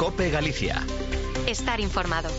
COPE Galicia. Estar informado.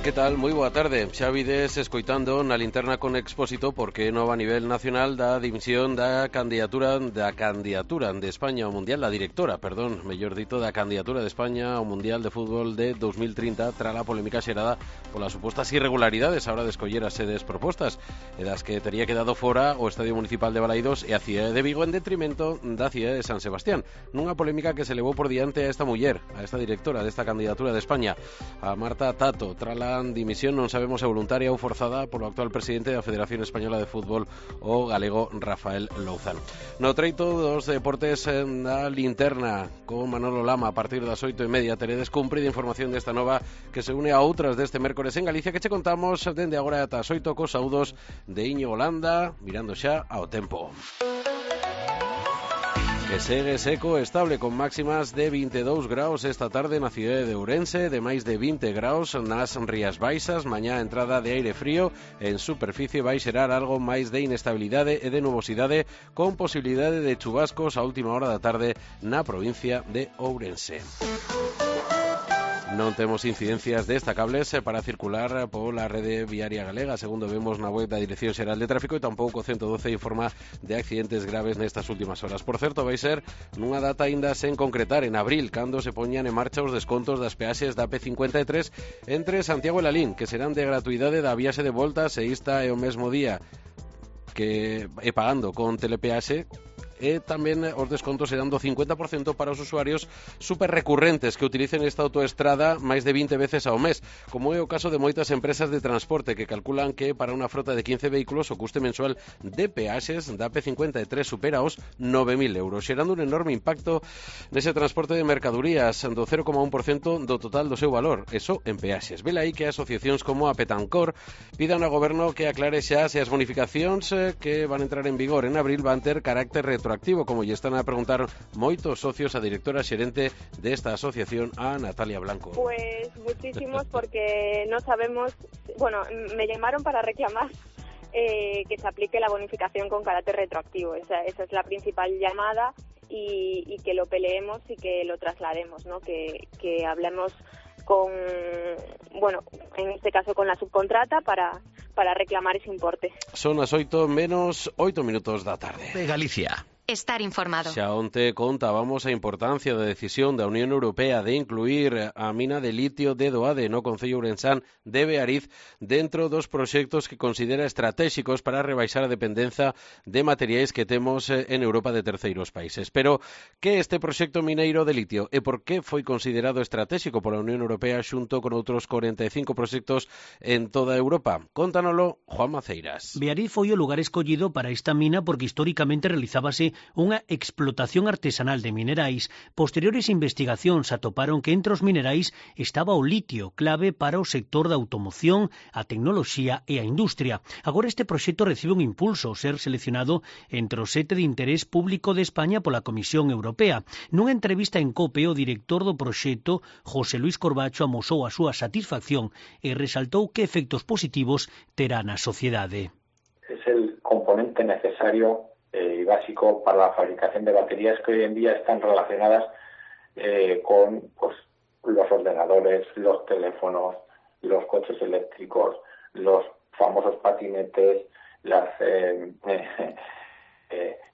Que tal? Moi boa tarde. Xa vides escoitando na linterna con Expósito porque nova a nivel nacional da dimisión da candidatura de España ao Mundial, da directora, mellor dito, da candidatura de España ao Mundial de Fútbol de 2030 tras a polémica xerada polas supostas irregularidades a hora de escoller as sedes propostas e das que tería quedado fora o Estadio Municipal de Balaidos e a cidade de Vigo en detrimento da cidade de San Sebastián. Nunha polémica que se levou por diante a esta muller, a esta directora desta candidatura de España, a Marta Tato, tras a dimisión, non sabemos se voluntaria ou forzada polo actual presidente da Federación Española de Fútbol, o galego Rafael Louzán. No treito dos deportes na linterna con Manolo Lama a partir das 8:30 teredes cumprida información desta nova que se une a outras deste mércores en Galicia que che contamos dende agora ata as 8 cos saúdos de Íñigo Landa, mirando xa ao tempo. Que segue seco e estable con máximas de 22 graus esta tarde na cidade de Ourense, de máis de 20 graus nas Rías Baixas, mañá entrada de aire frío, en superficie vai xerar algo máis de inestabilidade e de nubosidade con posibilidade de chubascos a última hora da tarde na provincia de Ourense. Non temos incidencias destacables para circular pola rede viaria galega, segundo vemos na web da Dirección Xeral de Tráfico, e tampouco 112 informa de accidentes graves nestas últimas horas. Por certo, vai ser nunha data aínda sen concretar, en abril, cando se poñan en marcha os descontos das peaxes da P53 entre Santiago e Lalín, que serán de gratuidade da viaxe de volta se esta é o mesmo día que é pagando con telepeaxe. E tamén os descontos serán do 50% para os usuarios super recurrentes que utilicen esta autoestrada máis de 20 veces ao mes, como é o caso de moitas empresas de transporte que calculan que para unha frota de 15 vehículos o custe mensual de peaxes da P53 supera os 9.000 euros, xerando un enorme impacto nese transporte de mercadorías do 0,1% do total do seu valor, eso en peaxes. Vela aí que asociacións como a Petancor pidan ao goberno que aclare xa se as bonificacións que van entrar en vigor en abril van ter carácter retroactivo, como lle están a preguntar moitos socios a directora xerente desta asociación, a Natalia Blanco. Pues muchísimos, porque no sabemos, bueno, me llamaron para reclamar que se aplique la bonificación con carácter retroactivo. Esa es la principal llamada y que lo peleemos y que lo traslademos, ¿no? Que hablemos con, bueno, en este caso con la subcontrata para reclamar ese importe. Son as 8 menos 8 minutos da tarde. De Galicia. Estar informado. Xa onte contábamos a importancia da decisión da Unión Europea de incluir a mina de litio de Doade no concello ourensán de Beariz dentro dos proxectos que considera estratégicos para rebaixar a dependenza de materiais que temos en Europa de terceiros países. Pero, que este proxecto mineiro de litio e por que foi considerado estratégico pola Unión Europea xunto con outros 45 proxectos en toda Europa? Contánoslo Juan Maceiras. Beariz foi o lugar escollido para esta mina porque históricamente realizábase unha explotación artesanal de minerais. Posteriores investigacións atoparon que entre os minerais estaba o litio, clave para o sector da automoción, a tecnoloxía e a industria. Agora este proxecto recibe un impulso ao ser seleccionado entre os 7 de interés público de España pola Comisión Europea. Nunha entrevista en COPE, o director do proxecto, José Luis Corbacho, amosou a súa satisfacción e resaltou que efectos positivos terá na sociedade. Es el componente necesario y básico para la fabricación de baterías que hoy en día están relacionadas con los ordenadores, los teléfonos, los coches eléctricos, los famosos patinetes, las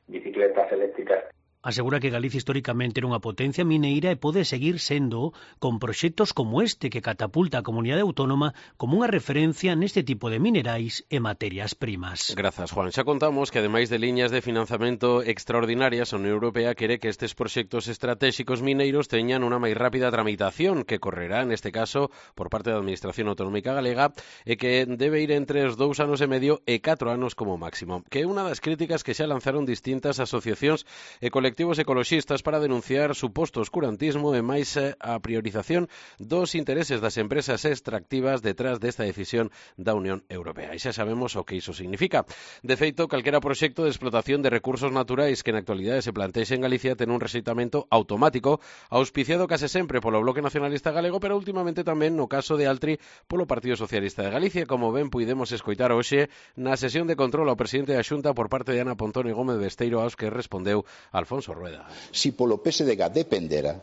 bicicletas eléctricas. Asegura que Galicia históricamente era unha potencia mineira e pode seguir sendo con proxectos como este que catapulta a comunidade autónoma como unha referencia neste tipo de minerais e materias primas. Grazas, Juan. Xa contamos que ademais de liñas de financiamento extraordinarias, a Unión Europea quere que estes proxectos estratégicos mineiros teñan unha máis rápida tramitación que correrá, neste caso, por parte da Administración Autonómica Galega e que debe ir entre os 2 anos e medio e 4 anos como máximo. Que é unha das críticas que xa lanzaron distintas asociacións e colectivos ecoloxistas para denunciar suposto oscurantismo e máis a priorización dos intereses das empresas extractivas detrás desta decisión da Unión Europea. E xa sabemos o que iso significa. De feito, calquera proxecto de explotación de recursos naturais que na actualidade se plantexe en Galicia ten un rexeitamento automático, auspiciado case sempre polo Bloque Nacionalista Galego, pero últimamente tamén no caso de Altri polo Partido Socialista de Galicia, como ben puidemos escoitar hoxe na sesión de control ao presidente da Xunta por parte de Ana Pontón e Gómez Besteiro, aos que respondeu Alfonso Rueda. Si polo PSDG dependera,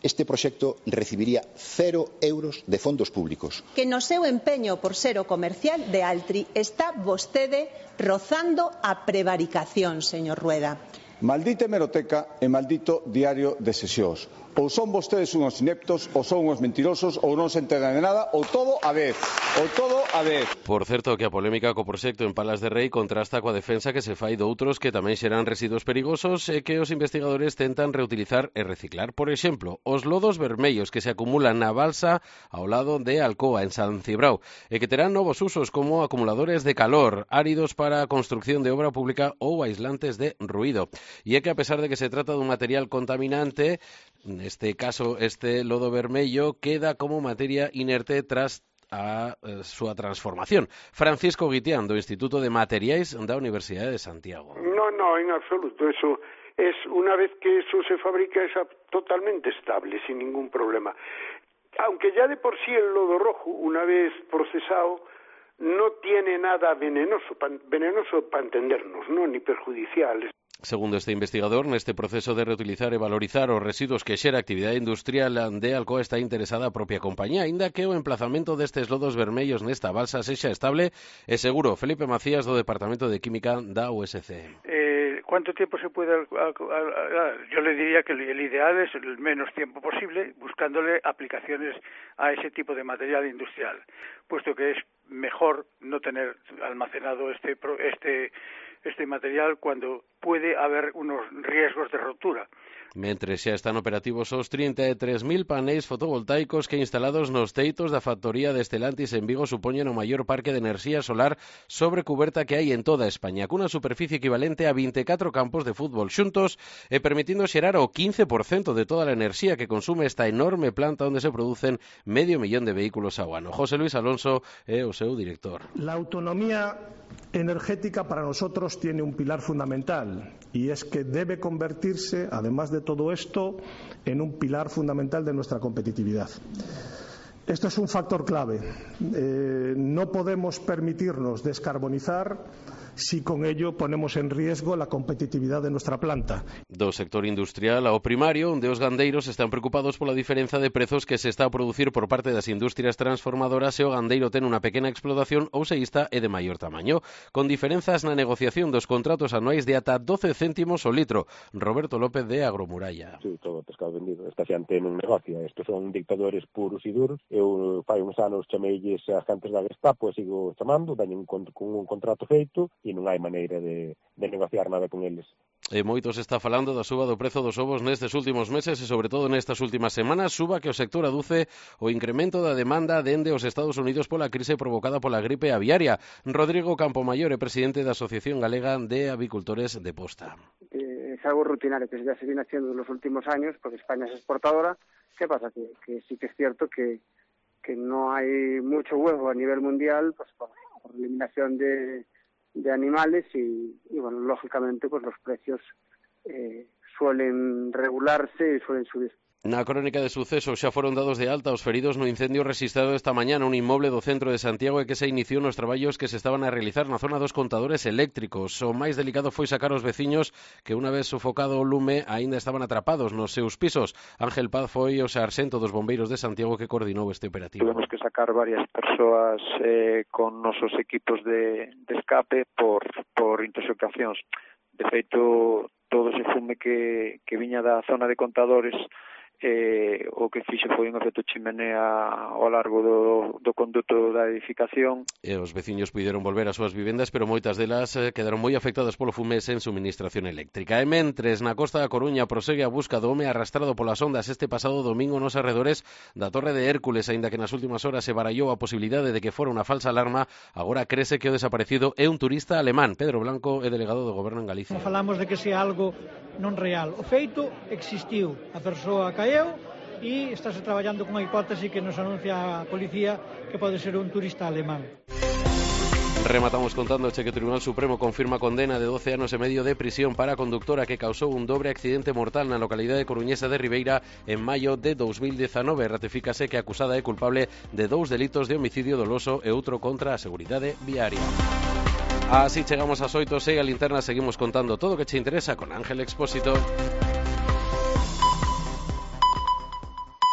este proxecto recibiría 0 euros de fondos públicos. Que no seu empeño por ser o comercial de Altri está vostede rozando a prevaricación, señor Rueda. Maldita hemeroteca e maldito diario de sesións. Ou son vostedes unhos ineptos, ou son unhos mentirosos, ou non se enteran de nada, ou todo a vez. Ou todo a vez. Por certo, que a polémica co proxecto en Palas de Rei contrasta coa defensa que se fai doutros que tamén xeran residuos perigosos e que os investigadores tentan reutilizar e reciclar. Por exemplo, os lodos vermellos que se acumulan na balsa ao lado de Alcoa, en San Cibrao, e que terán novos usos como acumuladores de calor, áridos para a construcción de obra pública ou aislantes de ruído. E é que a pesar de que se trata dun material contaminante, neste caso este lodo vermello queda como materia inerte tras a súa transformación. Francisco Guitián, do Instituto de Materiais da Universidade de Santiago. No, en absoluto. Eso es, una vez que eso se fabrica, es totalmente estable, sin ningún problema. Aunque ya de por sí el lodo rojo, una vez procesado, no tiene nada venenoso para entendernos, ¿no? Ni perjudicial. Segundo este investigador, neste proceso de reutilizar e valorizar os residuos que xera a actividade industrial de Alcoa está interesada a propia compañía, aínda que o emplazamento destes lodos vermellos nesta balsa sexa estable e seguro. Felipe Macías, do Departamento de Química da USC. ¿Cuánto tiempo se puede? Yo le diría que el ideal es el menos tiempo posible, buscándole aplicaciones a ese tipo de material industrial, puesto que es mejor no tener almacenado este material cuando puede haber unos riesgos de rotura. Mentre xa están operativos os 33.000 paneis fotovoltaicos que instalados nos teitos da factoría de Stellantis en Vigo supoñen o maior parque de enerxía solar sobre cuberta que hai en toda España, cunha superficie equivalente a 24 campos de fútbol xuntos e permitindo xerar o 15% de toda a enerxía que consume esta enorme planta onde se producen 500.000 de vehículos ao ano. José Luis Alonso é o seu director. La autonomía energética para nosotros tiene un pilar fundamental y es que debe convertirse, además de todo esto, en un pilar fundamental de nuestra competitividad. Esto es un factor clave. No podemos permitirnos descarbonizar si con ello ponemos en riesgo la competitividad de nuestra planta. Do sector industrial ao primario, onde os gandeiros están preocupados pola diferenza de prezos que se está a producir por parte das industrias transformadoras e o gandeiro ten unha pequena explotación ou seísta e de maior tamaño, con diferenzas na negociación dos contratos anuais de ata 12 céntimos o litro. Roberto López de Agromuralla. Sí, todo o pescado vendido. Esta xente non negocia. Estos son dictadores puros e duros. Eu fai uns anos chameilles a xentes da Gestapo e sigo chamando, veñen con un contrato feito e non hai maneira de negociar nada con eles. E moito se está falando da suba do prezo dos ovos nestes últimos meses e sobre todo nestas últimas semanas, suba que o sector aduce o incremento da demanda dende os Estados Unidos pola crise provocada pola gripe aviaria. Rodrigo Campomayor é presidente da Asociación Galega de Avicultores de Posta. Es algo rutinario que ya se viene haciendo en los últimos años porque España es exportadora. ¿Qué pasa? Que sí que es cierto que no hay mucho huevo a nivel mundial pues por eliminación de animales y bueno, lógicamente pues los precios suelen regularse y suelen subir. Na crónica de sucesos xa foron dados de alta os feridos no incendio registrado esta mañá nun inmoble do centro de Santiago e que se iniciou nos traballos que se estaban a realizar na zona dos contadores eléctricos. O máis delicado foi sacar os veciños que unha vez sofocado o lume aínda estaban atrapados nos seus pisos. Ángel Paz foi o sarxento dos bombeiros de Santiago que coordinou este operativo. Tuvemos que sacar varias persoas con nosos equipos de escape por intoxicacións. De feito, todo ese fume que viña da zona de contadores o que fixo foi un efecto chimenea ao largo do conduto da edificación. E os veciños puideron volver ás súas vivendas, pero moitas delas quedaron moi afectadas polo fume sen suministración eléctrica. E mentres, na costa da Coruña prosegue a busca do home arrastrado polas ondas este pasado domingo nos arredores da Torre de Hércules, aínda que nas últimas horas se barallou a posibilidade de que fora unha falsa alarma, agora crese que o desaparecido é un turista alemán. Pedro Blanco é delegado do Goberno en Galicia. Falamos de que sea algo non real. O feito existiu. A persoa caeu e estáse traballando con a hipótese que nos anuncia a policía que pode ser un turista alemán. Rematamos contando que o Tribunal Supremo confirma condena de 12 anos e medio de prisión para a conductora que causou un dobre accidente mortal na localidade coruñesa de Ribeira en maio de 2019. Ratifícase que a acusada é culpable de 2 delitos de homicidio doloso e outro contra a seguridade viaria. Así chegamos ás 8, a linterna, seguimos contando todo o que che interesa con Ángel Expósito.